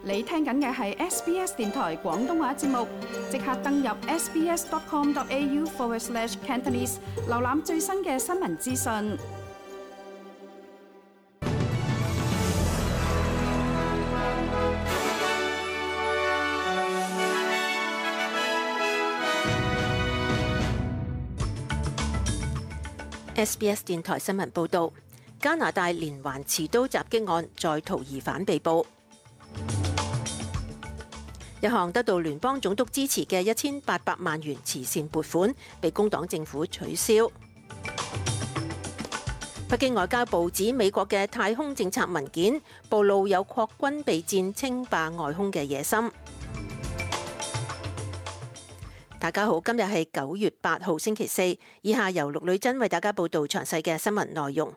你聽緊嘅係 SBS 電台廣東話節目，即刻登入 sbs.com.au/Cantonese 瀏覽最新嘅新聞資訊。SBS 電台新聞報導，加拿大連環持刀襲擊案在逃疑犯被捕。一項得到聯邦總督支持嘅1800萬元慈善撥款被工黨政府取消。北京外交部指美國嘅太空政策文件暴露有擴軍備戰稱霸外空嘅野心。大家好，今日係9月8號星期四，以下由陸女珍為大家報道詳細嘅新聞內容。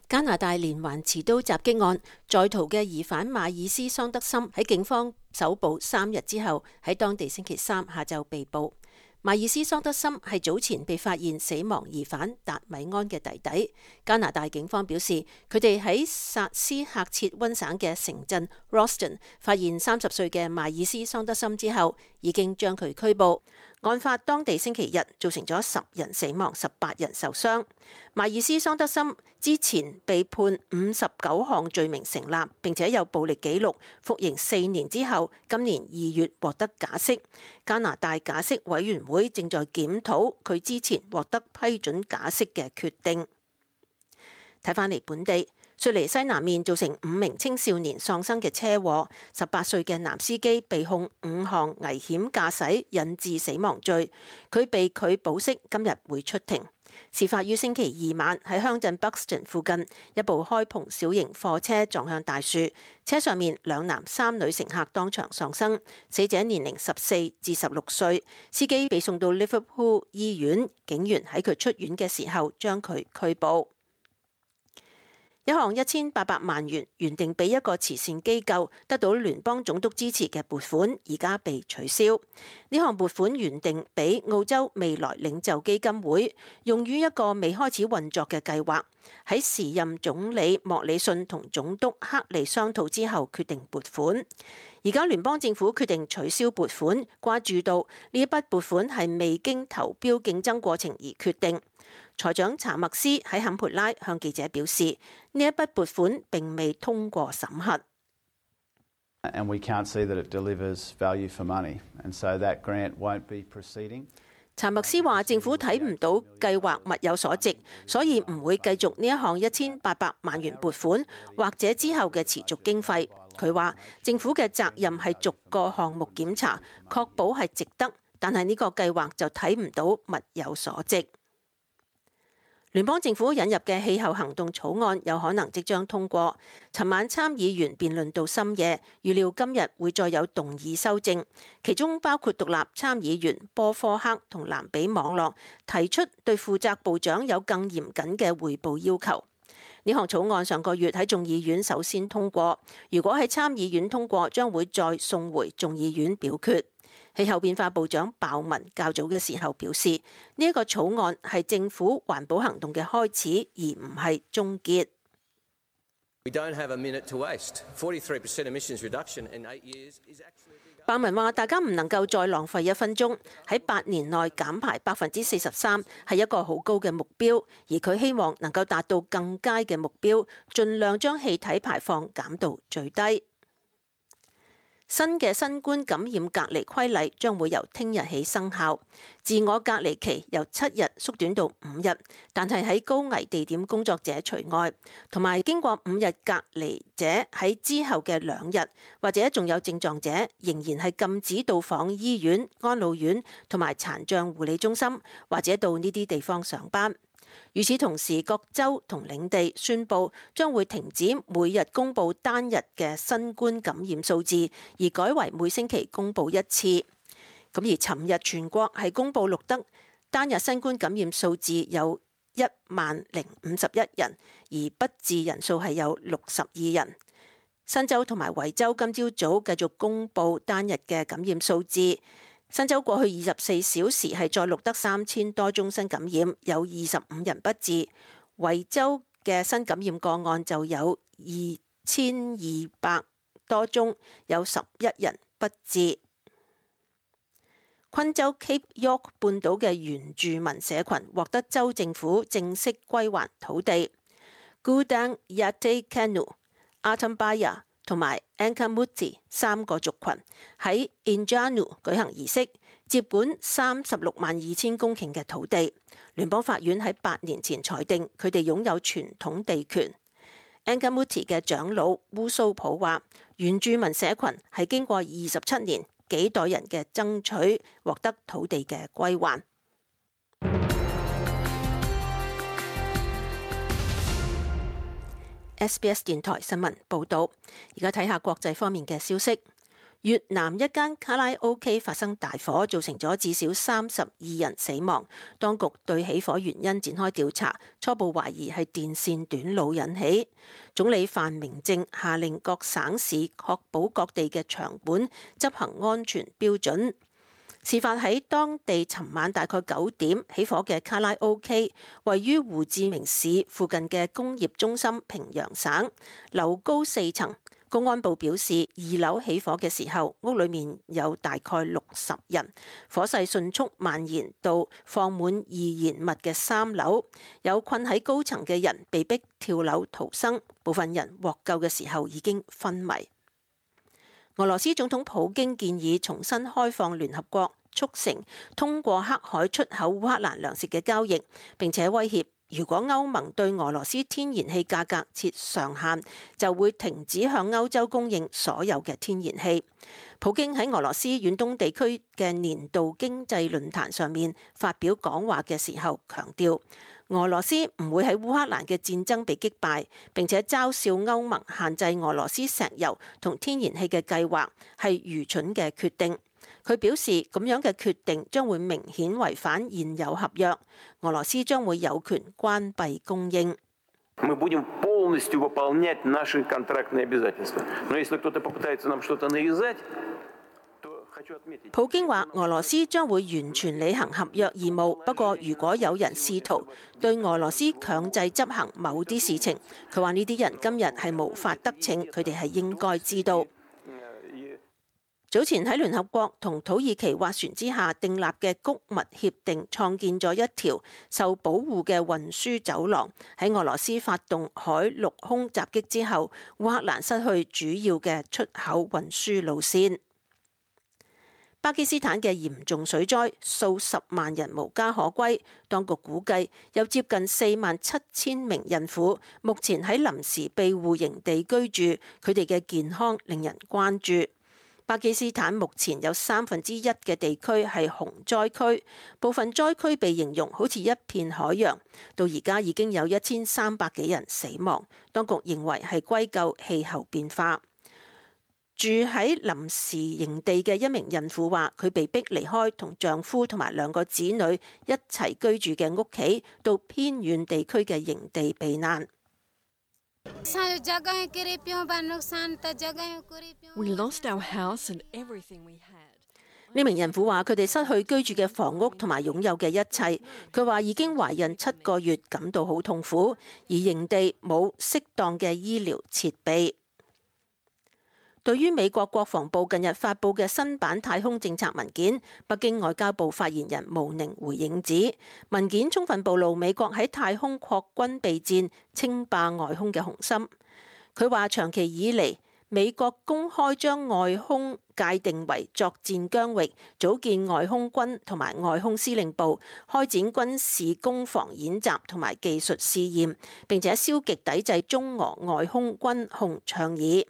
加拿大連環持刀襲擊案在逃嘅疑犯馬爾斯桑德森喺警方搜捕3日之後，喺當地星期三下晝被捕。馬爾斯桑德森係早前被發現死亡疑犯達米安嘅弟弟。加拿大警方表示，佢哋喺薩斯喀徹溫省嘅城鎮 Roston 發現30歲嘅馬爾斯桑德森之後，已經將佢拘捕。案發當地星期日造成咗10人死亡、18人受傷。馬爾斯桑德森之前被判59項罪名成立，並且有暴力記錄，服刑4年之後，今年2月獲得假釋。加拿大假釋委員會正在檢討佢之前獲得批准假釋嘅決定。睇返嚟本地，雪梨西南面造成5名青少年喪生嘅車禍，18歲嘅男司機被控5項危險駕駛引致死亡罪，佢被拒保釋，今日會出庭。事發於星期二晚喺鄉鎮 Buxton 附近，一部開篷小型貨車撞向大樹，車上面2男3女乘客當場喪生，死者年齡14至16歲，司機被送到 Liverpool 醫院，警員喺佢出院嘅時候將佢拘捕。一項1800萬元原定俾一個慈善機構得到聯邦總督支持嘅撥款，而家被取消。呢項撥款原定俾澳洲未來領袖基金會，用於一個未開始運作嘅計劃。喺時任總理莫里遜同總督克利商討之後，決定撥款。而家聯邦政府決定取消撥款，關注到呢一筆撥款係未經投標競爭過程而決定。財長查默斯喺坎培拉向記者表示，呢一筆撥款並未通過審核。查默斯話：政府睇唔到計劃物有所值，所以唔會繼續呢一項1800萬元撥款，或者之後嘅持續經費。佢話政府嘅責任係逐個項目檢查，確保係值得，但係呢個計劃就睇唔到物有所值。聯邦政府引入嘅氣候行動草案有可能即將通過。尋晚參議員辯論到深夜，預料今日會再有動議修正，其中包括獨立參議員波科克同藍比網絡提出對負責部長有更嚴謹嘅匯報要求。呢項草案上個月喺眾議院首先通過，如果喺參議院通過，將會再送回眾議院表決。氣候變化部長鮑文較早嘅時候表示，呢一個草案係政府環保行動嘅開始，而唔係終結。鮑文話：大家唔能夠再浪費1分鐘，喺8年內減排43%係一個好高嘅目標，而佢希望能夠達到更佳嘅目標，盡量將氣體排放減到最低。新嘅新冠感染隔離規例將會由聽日起生效，自我隔離期由7日縮短到5日，但係喺高危地點工作者除外，同埋經過5日隔離者喺之後嘅2日或者仲有症狀者，仍然係禁止到訪醫院、安老院同埋殘障護理中心，或者到呢啲地方上班。與此同時，各州同領地宣布將會停止每日公佈單日嘅新冠感染數字，而改為每星期公佈1次。咁而尋日全國係公佈錄得單日新冠感染數字有10,051人，而不治人數係有62人。新州同埋維州今朝早繼續公佈單日嘅感染數字。新州過去24小時係再錄得3000多宗新感染，有25人不治。維州嘅新感染個案就有2200多宗，有11人不治。昆州 Cape York 半島嘅原住民社群獲得州政府正式歸還土地。Gudang Yatai-Kanu、Atambaya 同埋 Ankamuthi 3個族群喺 Enjanu 舉行儀式，接管362000公頃嘅土地。聯邦法院喺8年前裁定佢哋擁有傳統地權。Ankamuthi 嘅長老烏蘇普話：原住民社群係經過27年幾代人嘅爭取，獲得土地嘅歸還。SBS 電台新聞報導，而家睇下國際方面嘅消息。越南一間卡拉 OK 發生大火，造成咗至少32人死亡。當局對起火原因展開調查，初步懷疑係電線短路引起。總理范明政下令各省市確保各地嘅場館執行安全標準。事發喺當地尋晚大概9點起火嘅卡拉 OK， 位於胡志明市附近嘅工業中心平陽省，樓高4層。公安部表示，2樓起火嘅時候，屋裏面有大概60人，火勢迅速蔓延到放滿易燃物嘅3樓，有困喺高層嘅人被迫跳樓逃生，部分人獲救嘅時候已經昏迷。俄羅斯總統普京建議重新開放聯合國促成通過黑海出口烏克蘭糧食嘅交易，並且威脅如果歐盟對俄羅斯天然氣價格設上限，就會停止向歐洲供應所有嘅天然氣。普京喺俄羅斯遠東地區嘅年度經濟論壇上面發表講話嘅時候強調，俄羅斯唔會喺烏克蘭嘅戰爭被擊敗，並且嘲笑歐盟限制俄羅斯石油同天然氣嘅計劃係愚蠢嘅決定。佢表示咁樣嘅決定將會明顯違反現有合約，俄羅斯將會有權關閉供應。普京話俄羅斯將會完全履行合約義務，不過如果有人試圖對俄羅斯強制執行某啲事情，佢話呢啲人今日係無法得逞，佢哋係應該知道。早前喺聯合國同土耳其斡旋之下訂立嘅谷物協定，創建咗一條受保護嘅運輸走廊。喺俄羅斯發動海陸空襲擊之後，烏克蘭失去主要嘅出口運輸路線。巴基斯坦嘅嚴重水災，數十萬人無家可歸。當局估計有接近47000名孕婦目前喺臨時庇護營地居住，佢哋嘅健康令人關注。巴基斯坦目前有1/3嘅地區係洪災區，部分災區被形容好似一片海洋。到而家已經有1300幾人死亡，當局認為係歸咎氣候變化。住喺臨時營地嘅一名孕婦話，佢被迫離開同丈夫同埋2個子女一齊居住嘅屋企，到偏遠地區嘅營地避難。We lost our house and everything we had. 呢名孕婦話：佢哋失去居住嘅房屋同埋擁有嘅一切。佢話已經懷孕7個月，感到好痛苦，而營地冇適當嘅醫療設備。對於美國國防部近日發布嘅新版太空政策文件，北京外交部發言人毛寧回應指，文件充分暴露美國喺太空擴軍備戰、稱霸外空嘅雄心。佢話長期以嚟，美國公開將外空界定為作戰疆域，組建外空軍同埋外空司令部，開展軍事攻防演習同埋技術試驗，並且消極抵制中俄外空軍控倡議。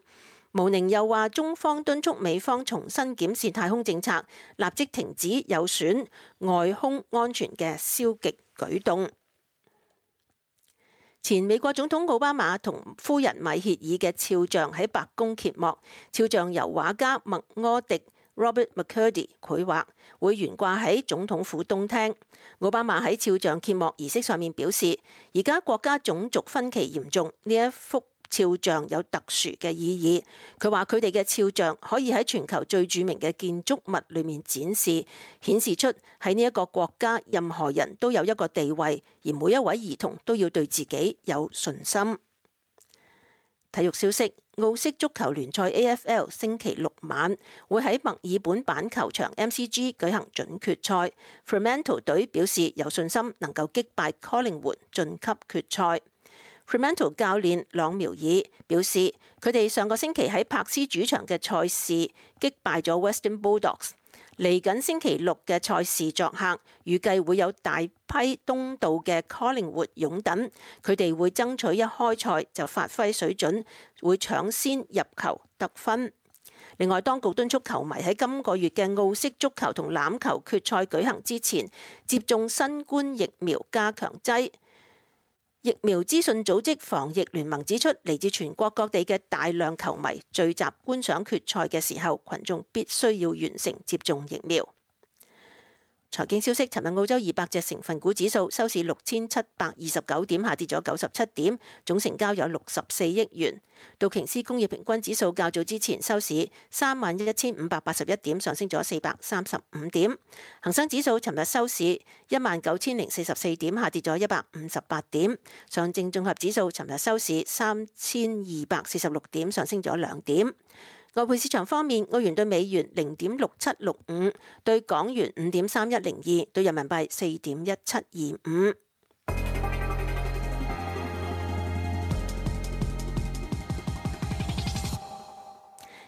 毛寧又話，中方敦促美方重新檢視太空政策，立即停止有損外空安全嘅消極舉動。前美國總統奧巴馬同夫人米歇爾嘅肖像喺白宮揭幕，肖像由畫家麥柯迪 Robert McCurdy 繪畫，會懸掛喺總統府東廳。奧巴馬喺肖像揭幕儀式上面表示，而家國家種族分歧嚴重，呢一幅肖像有特殊嘅意義。佢話佢哋嘅肖像可以喺全球最著名嘅建築物裏面展示，顯示出喺呢一個國家任何人都有一個地位，而每一位兒童都要對自己有信心。體育消息：澳式足球聯賽 AFL 星期六晚會喺墨爾本板球場 MCG 舉行準決賽。Fremantle 隊表示有信心能夠擊敗 Collingwood 晉級決賽。Fremantle 教練朗苗爾表示，佢哋上個星期喺柏斯主場嘅賽事擊敗咗 Western Bulldogs。嚟緊星期六嘅賽事作客，預計會有大批東道嘅 Collingwood 擁躉，佢哋會爭取一開賽就發揮水準，會搶先入球得分。另外，當局敦促球迷喺今個月嘅澳式足球同欖球決賽舉行之前，接種新冠疫苗加強劑。疫苗資訊組織防疫聯盟指出，嚟自全國各地嘅大量球迷聚集觀賞決賽嘅時候，群眾必須要完成接種疫苗。財經消息，尋日澳洲200隻成分股指數收市6729點，下跌咗97點，總成交有64億元。道瓊斯工業平均指數較早之前收市31581點，上升咗435點。恒生指數尋日收市19044點，下跌咗158點。上證綜合指數尋日收市3246點，上升咗2點。外匯市場方面，澳元對美元0.6765，對港元5.3102，對人民幣4.1725。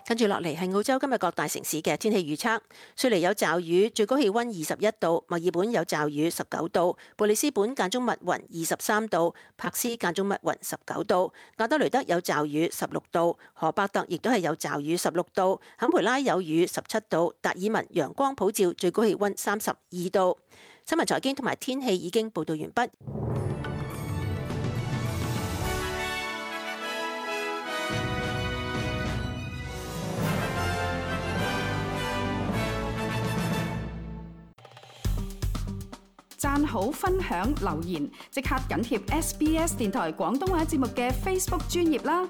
跟住落嚟係澳洲今日各大城市嘅天氣預測。雪梨有驟雨，最高氣溫21度；墨爾本有驟雨19度；布里斯本間中密雲23度；柏斯間中密雲19度；亞德雷德有驟雨16度；荷伯特亦都係有驟雨16度；坎培拉有雨17度；達爾文陽光普照，最高氣溫32度。新聞財經同埋天氣已經報道完畢。讚好、分享、留言，即刻緊貼SBS 電台廣東話節目嘅 Facebook 專頁啦！